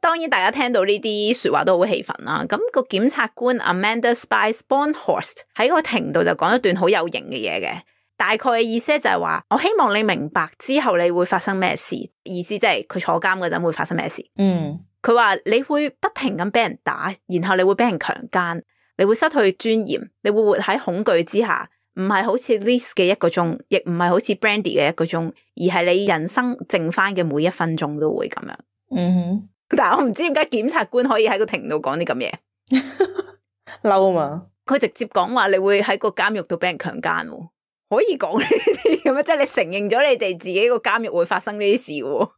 當然大家聽到呢啲說話都好氣憤啦。咁個檢察官 Amanda Spice Bornhorst 喺個庭度就講一段好有型嘅嘢嘅，大概嘅意思就係話，我希望你明白之後你會發生咩事，意思即係佢坐監嗰陣會發生咩事。佢話你會不停咁俾人打，然後你會俾人強姦，你會失去尊嚴，你會活喺恐懼之下，唔係好似 Liz 嘅1個鐘，亦唔係好似 Brandy 嘅1個鐘，而係你人生剩翻嘅每1分鐘都會咁樣。但係我唔知點解檢察官可以喺個庭度講啲咁嘢，嬲嘛？佢直接講話你會喺個監獄度俾人強姦，可以講呢啲咁樣，即係你承認咗你哋自己個監獄會發生呢啲事嘅。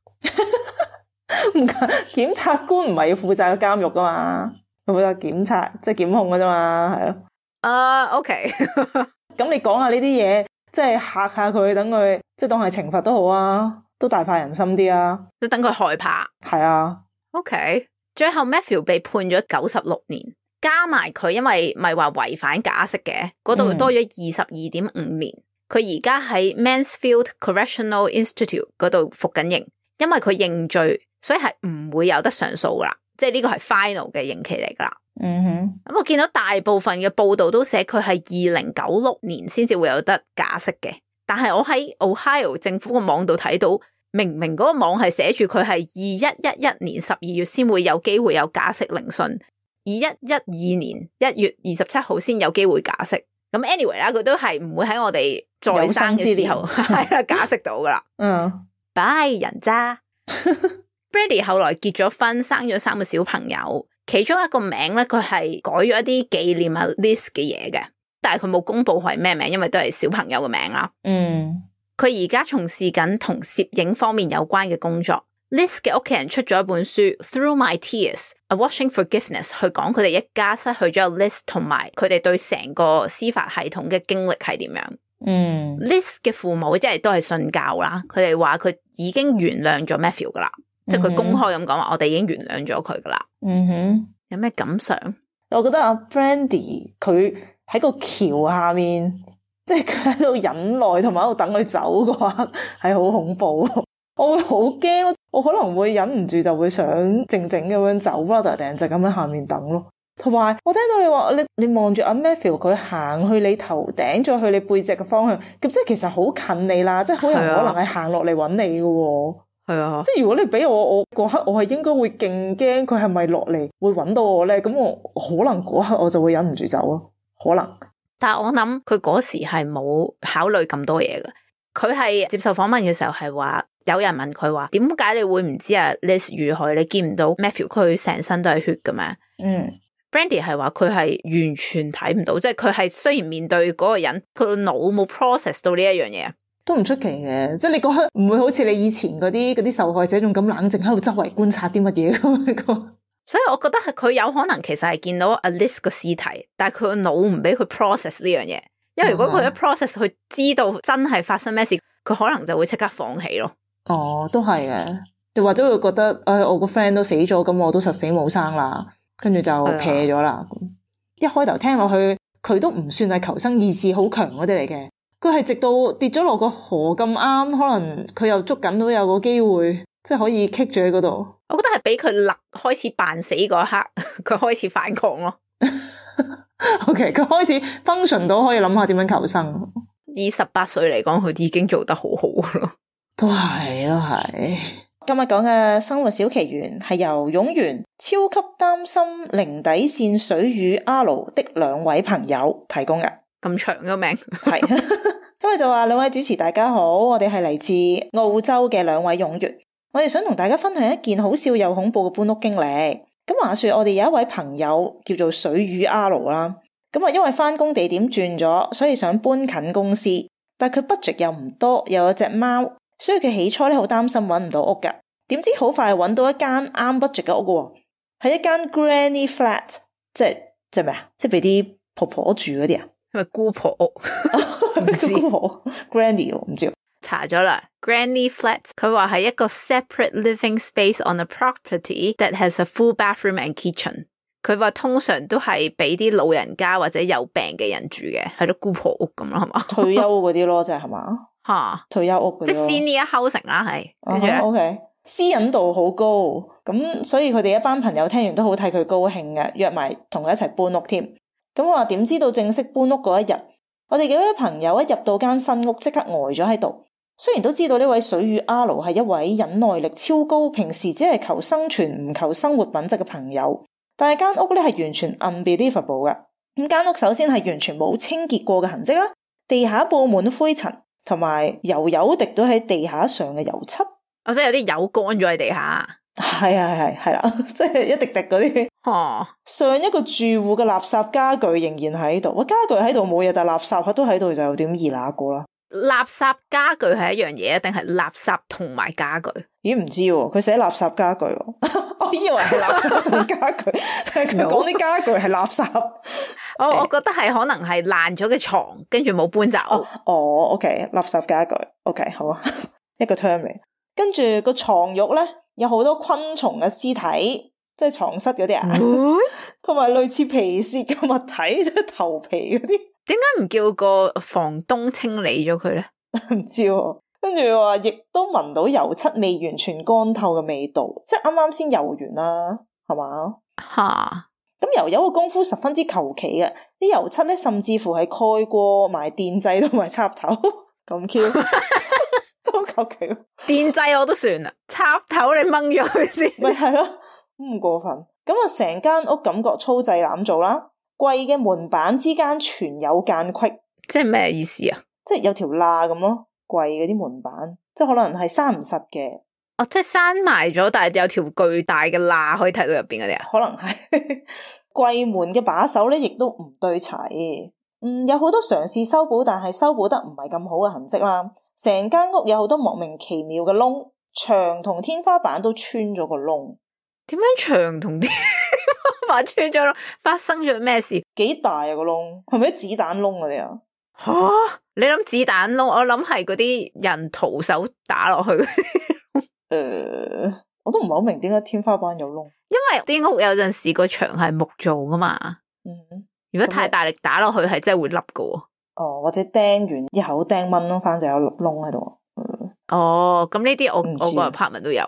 唔檢察官唔係要負責個監獄噶嘛，佢負責檢察即係檢控噶啫嘛，係咯。OK 咁你講下呢啲嘢，即係嚇下佢，等佢即係當係懲罰都好啊，都大快人心啲啊，即等佢害怕。係啊。OK， 最後 Matthew 被判咗96年，加埋佢因為咪話違反假釋嘅，嗰度多咗22.5年。佢而家喺 Mansfield Correctional Institute 嗰度服緊刑，因為佢認罪，所以係唔會有得上訴噶啦，即係呢個係 final 嘅刑期嚟噶啦。咁我見到大部分嘅報道都寫佢係2096年先至會有得假釋嘅，但係我喺 Ohio 政府個網度睇到，明明嗰個網係寫住佢係2111年12月先會有機會有假釋聆訊，2112年1月27號先有機會假釋。咁 anyway 啦，佢都係唔會喺我哋在生嘅時候係啦假釋到噶啦。bye 人渣。Brandy 後來結咗婚，生咗3個小朋友，其中一個名咧佢係改咗一啲紀念啊 Liz 嘅嘢嘅，但係佢冇公布係咩名，因為都係小朋友嘅名啦。佢而家從事緊同攝影方面有關嘅工作。Liz 嘅屋企人出咗一本書 Through My Tears, A Watching Forgiveness 去講佢哋一家失去咗 Liz 同埋佢哋對成個司法系統嘅經歷係點樣。Liz 嘅父母即係都係信教啦，佢哋話佢已經原諒咗 Matthew 噶啦，即係佢公開咁講話我哋已經原諒咗佢噶啦。有咩感想？我覺得阿 Brandy 佢喺個橋下面，即係佢喺度忍耐同埋喺度等佢走嘅話，係好恐怖。我會好驚，我可能會忍唔住就會想靜靜咁樣走 rather than 就咁喺下面等咯。同埋我聽到你話你望住阿 Matthew 佢行去你頭頂再去你背脊嘅方向，咁即係其實好近你啦，即係好有可能係行落嚟揾你嘅。係啊，即係如果你俾我嗰刻我係應該會勁驚佢係咪落嚟會揾到我咧，咁我可能嗰刻我就會忍唔住走咯，可能。但係我諗佢嗰時係冇考慮咁多嘢嘅，佢係接受訪問嘅時候係話，有人問佢話，點解你會唔知啊 Liz 遇害，你見唔到 Matthew 佢成身都係血嘅咩？Brandy 係話佢係完全睇唔到，即係佢係雖然面對嗰個人，佢個腦冇 process 到呢一樣嘢，都唔出奇嘅。即係你嗰刻唔會好似你以前嗰啲受害者仲咁冷靜喺度周圍觀察啲乜嘢咁。所以我覺得係佢有可能其實係見到 Liz 個屍體，但係佢個腦唔俾佢 process 呢樣嘢，因為如果佢一 process 佢知道真係發生咩事，佢可能就會即刻放棄咯。都係嘅。你或者會覺得，我個 friend 都死咗，咁我都實死冇生啦，跟住就撇咗啦。一開頭聽落去，佢都唔算係求生意志好強嗰啲嚟嘅。佢係直到跌咗落個河咁啱，可能佢又捉緊到有個機會，即係可以 kick 住喺嗰度。我覺得係俾佢開始扮死嗰一刻，佢開始反抗咯。OK， 佢開始 function 到可以諗下點樣求生。以18歲嚟講，佢已經做得好好咯。都係。今日講嘅生活小奇懸係由勇元超級擔心零底線水魚 R 的2位朋友提供嘅。咁長嘅名係，因為就話2位主持大家好，我哋係嚟自澳洲嘅2位勇元，我哋想同大家分享一件好笑又恐怖嘅搬屋經歷。咁話說我哋有一位朋友叫做水魚 R 啦，咁因為返工地點轉咗，所以想搬近公司，但佢 budget 又唔多，又有隻貓，所以佢起初好擔心搵唔到屋㗎。點知好快搵到一間啱 budget 嘅屋喎，係一間 granny flat， 即係咩啊？即係俾啲婆婆住嗰啲啊？係咪姑婆屋？唔知姑婆 granny 唔知。查咗啦 ，granny flat， 佢話係一個 separate living space on a property that has a full bathroom and kitchen。佢話通常都係俾啲老人家或者有病嘅人住嘅，係咯，姑婆屋咁咯，係嘛？退休嗰啲咯，即係嘛？吓，退休屋嗰啲，即係 senior housing 啦，係。跟住咧，OK， 私隱度好高，咁所以佢哋一班朋友聽完都好替佢高興嘅，約埋同佢一齊搬屋添。咁我話點知道正式搬屋嗰一日，我哋幾位朋友一入到間新屋，即刻呆咗喺度。雖然都知道呢位水魚阿盧係一位忍耐力超高，平時只係求生存唔求生活品質嘅朋友，但係間屋咧係完全 unbelievable 嘅。咁間屋首先係完全冇清潔過嘅痕跡啦，地下布滿灰塵，同埋油滴到喺地下上嘅油漆。我即係有啲油乾咗喺地下。係啦，即係一滴滴嗰啲。上一個住戶嘅垃圾家具仍然喺度，家具喺度冇嘢，但係垃圾都喺度，就有點易那過啦。垃圾家具係一樣嘢，定係垃圾同埋家具？咦，唔知喎，佢寫垃圾家具喎，我以為係垃圾同家具，但係佢講啲家具係垃圾。我覺得係可能係爛咗嘅床，跟住冇搬走。OK， 垃圾家具 ，OK， 好啊，一個 term 嚟。跟住個床褥咧，有好多昆蟲嘅屍體，即係床蝨嗰啲啊，同埋類似皮屑嘅物體，即係頭皮嗰啲。點解唔叫個房東清理咗佢咧？唔知喎。跟住話亦都聞到油漆未完全乾透嘅味道，即係啱啱先油完啦，係嘛？吓，咁油嘅功夫十分之求其嘅，啲油漆咧甚至乎係蓋過埋電掣同埋插頭，咁 Q 都求其。電掣我都算啦，插頭你掹咗佢先，咪係咯，唔過分。咁啊，成間屋感覺粗製濫造啦。櫃嘅門板之間全有間隙，即係咩意思啊？即係有條罅咁咯，櫃嗰啲門板，即係可能係閂唔實嘅。哦，即係閂埋咗，但係有條巨大嘅罅可以睇到入邊嗰啲啊？可能係櫃門嘅把手咧，亦都唔對齊。有好多嘗試修補，但係修補得唔係咁好嘅痕跡啦。成間屋有好多莫名其妙嘅窿，牆同天花板都穿咗個窿。點樣牆同天花板穿咗窿？發生咗咩事？幾大啊個窿？係咪啲子彈窿嗰啲啊？吓，你諗子彈窿？我諗係嗰啲人徒手打落去嗰啲。我都唔係好明點解天花板有窿。因為啲屋有陣時個牆係木做噶嘛。如果太大力打落去，係真係會凹噶。或者釘完一口釘掹咯，反正有窿喺度。咁呢啲我個 apartment 都有。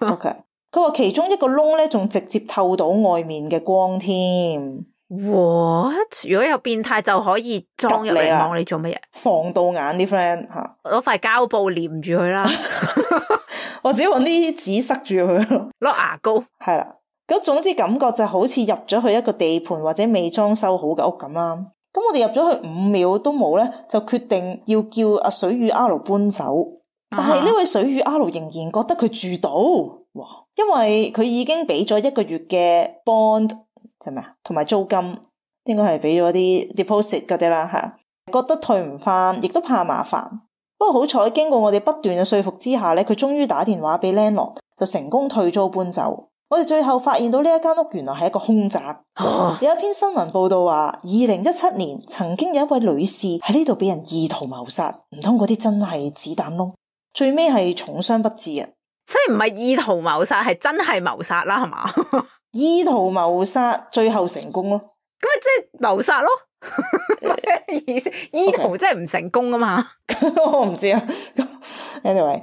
OK。佢話其中一個窿咧，仲直接透到外面嘅光添。What？ 如果有變態就可以裝入嚟望你做乜嘢？防盜眼啲 friend 吓，攞塊膠布黏住佢啦，或者搵啲紙塞住佢咯，攞牙膏。係啦，咁總之感覺就好似入咗去一個地盤或者未裝修好嘅屋咁啦。咁我哋入咗去5秒都冇咧，就決定要叫阿水魚阿盧搬走。但係呢位水魚阿盧仍然覺得佢住到，哇！因為佢已經俾咗1個月嘅 bond， 即係咩啊？同埋租金，應該係俾咗啲 deposit 嗰啲啦吓。覺得退唔翻，亦都怕麻煩。不過好彩，經過我哋不斷嘅說服之下咧，佢終於打電話俾 landlord， 就成功退租搬走。我哋最後發現到呢一間屋原來係一個凶宅。有一篇新聞報道話，2017年曾經有一位女士喺呢度俾人意圖謀殺，唔通嗰啲真係子彈窿？最尾係重傷不治啊！即係唔係意圖謀殺，係真係謀殺啦，係嘛？意圖謀殺最後成功咯，咁咪即係謀殺咯？意思意圖即係唔成功啊嘛？我唔知啊。Anyway，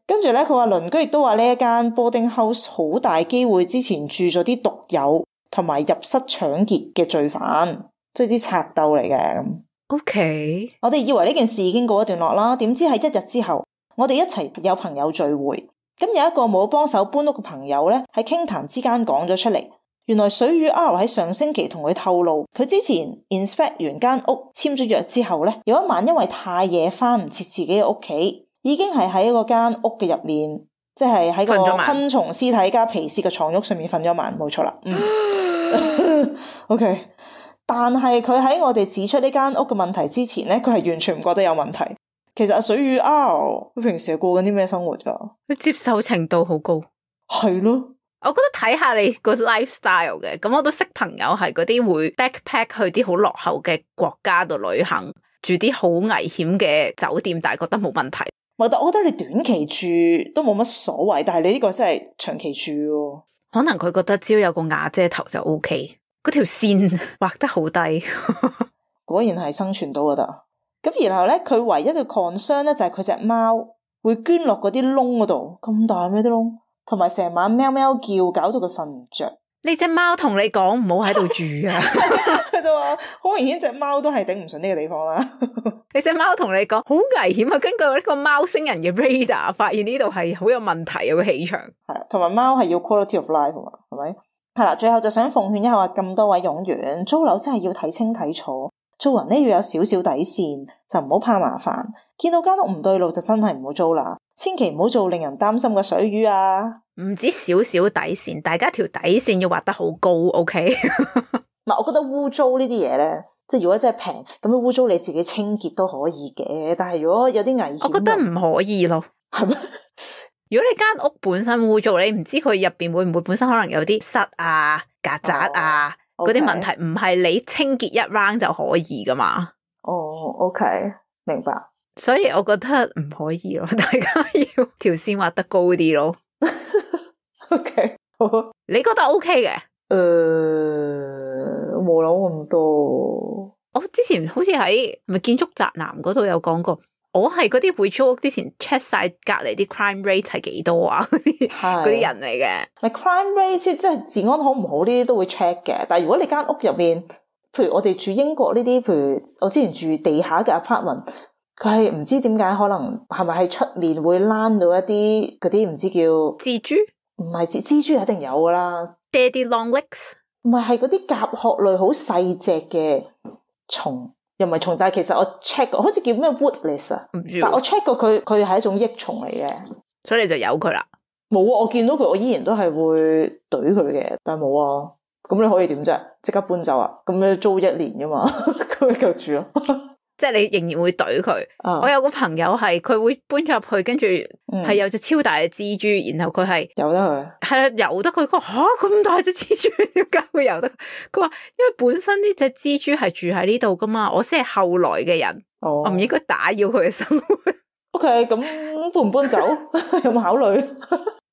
跟住咧，佢話鄰居亦都話呢一間 boarding house 好大機會之前住咗啲毒友同埋入室搶劫嘅罪犯，即係啲賊鬥嚟嘅咁。OK， 我哋以為呢件事已經告一段落啦，點知係1日之後，我哋一齊有朋友聚會，咁有一個冇幫手搬屋嘅朋友咧，喺傾談之間講咗出嚟，原來水魚 R 喺上星期同佢透露，佢之前 inspect 完間屋簽咗約之後咧，有一晚因為太夜翻唔切自己嘅屋企，已經係喺嗰間屋嘅入面，即係喺個昆蟲屍體加皮屑嘅床褥上面瞓咗晚，冇錯啦。OK。但係佢喺我哋指出呢間屋嘅問題之前咧，佢係完全唔覺得有問題。其實阿水魚 R 佢平時係過緊啲咩生活噶？佢接受程度好高，係咯。我覺得睇下你個 lifestyle 嘅，咁我都識朋友係嗰啲會 backpack 去啲好落後嘅國家度旅行，住啲好危險嘅酒店，但係覺得冇問題。我覺得你短期住都冇乜所謂，但係你呢個真係長期住喎。可能佢覺得只要有個瓦遮頭就 OK， 嗰條線畫得好低。果然係生存到就得。咁然後咧，佢唯一嘅 concern 咧就係佢隻貓會捐落嗰啲窿嗰度，咁大咩啲窿，同埋成晚喵喵叫，搞到佢瞓唔着。呢隻貓同你講唔好喺度住啊！佢就話好明顯隻貓都係頂唔順呢個地方啦。你隻貓同你講好危險啊！根據呢個貓星人嘅 radar， 發現呢度係好有問題啊個氣場。係，同埋貓係要 quality of life 嘛，係咪？係啦，最後就想奉勸一下話咁多位擁員，租樓真係要睇清睇楚，做人咧要有少少底線，就唔好怕麻煩。見到間屋唔對路就真係唔好租啦，千祈唔好做令人擔心嘅水魚啊！唔止少少底線，大家條底線要畫得好高 ，OK？ 唔係，我覺得污糟呢啲嘢咧，即係如果真係平咁樣污糟，你自己清潔都可以嘅。但係如果有啲危險，我覺得唔可以咯。係咩？如果你間屋本身污糟，你唔知佢入邊會唔會本身可能有啲虱啊、曱甴啊嗰啲問題，唔係你清潔一 round 就可以噶嘛。哦，OK，明白。所以我覺得唔可以咯，大家要條線畫得高啲咯。OK， 好，你覺得 OK 嘅？冇諗咁多。我之前好似喺咪建築宅男嗰度有講過，我係嗰啲會租屋之前 check 晒隔籬啲 crime rate 係幾多啊？嗰啲人嚟嘅。咪 crime rate 即係治安好唔好呢啲都會 check 嘅。但係如果你間屋入面，譬如我哋住英國呢啲，譬如我之前住地下嘅 apartment， 佢係唔知點解可能係咪喺出面會躝到一啲嗰啲唔知叫蜘蛛。唔係蜘蛛一定有噶啦 ，Daddy long legs， 唔係嗰啲甲殼類好細隻嘅蟲，又唔係蟲，但係其實我 check 過，好似叫咩 woodlice 啊，唔知，但我 check 過佢係一種益蟲嚟嘅，所以你就由佢啦。冇啊，我見到佢，我依然都係會懟佢嘅，但係冇啊。咁你可以點啫？即刻搬走啊？咁你租1年噶嘛，咁你就住咯。即係你仍然會懟佢。我有個朋友係佢會搬咗入去，跟住係有隻超大嘅蜘蛛，然後佢係由得佢，係啦，由得佢。佢話吓，咁大隻蜘蛛點解會由得佢？佢話因為本身呢隻蜘蛛係住喺呢度噶嘛，我先係後來嘅人，我唔應該打擾佢嘅生活。OK， 咁搬唔搬走有冇考慮？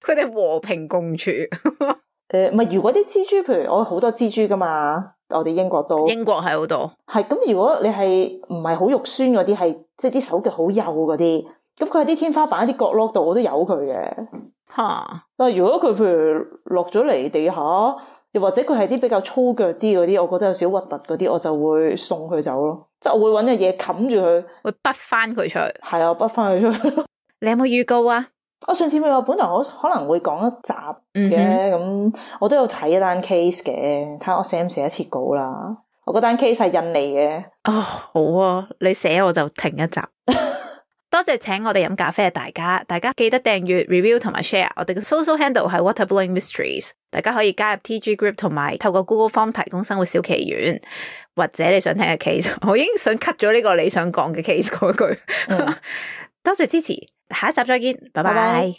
佢哋和平共處。唔係，如果啲蜘蛛，譬如我好多蜘蛛噶嘛。我哋英國係好多，係咁。如果你係唔係好肉酸嗰啲，係即係啲手腳好幼嗰啲，咁佢喺啲天花板一啲角落度，我都有佢嘅。但係如果佢譬如落咗嚟地下，又或者佢係啲比較粗腳啲嗰啲，我覺得有少核突嗰啲，我就會送佢走咯。即係我會搵隻嘢冚住佢，會滗翻佢出去。係啊，滗翻佢出去。你有冇預告啊？我上次咪話本來我可能會講一集嘅，咁我都有睇一單 case 嘅，睇下我寫唔寫得切稿啦。我嗰單 case 係印尼嘅。好啊，你寫我就停一集。多謝請我哋飲咖啡嘅大家記得訂閱、review 同埋 share。我哋嘅 social handle 係 Water Blowing Mysteries， 大家可以加入 TG Group 同埋透過 Google Form 提供生活小奇懸，或者你想聽嘅 case， 我已經想 cut 咗呢個你想講嘅 case 嗰句。多謝支持。下一集再見，拜拜。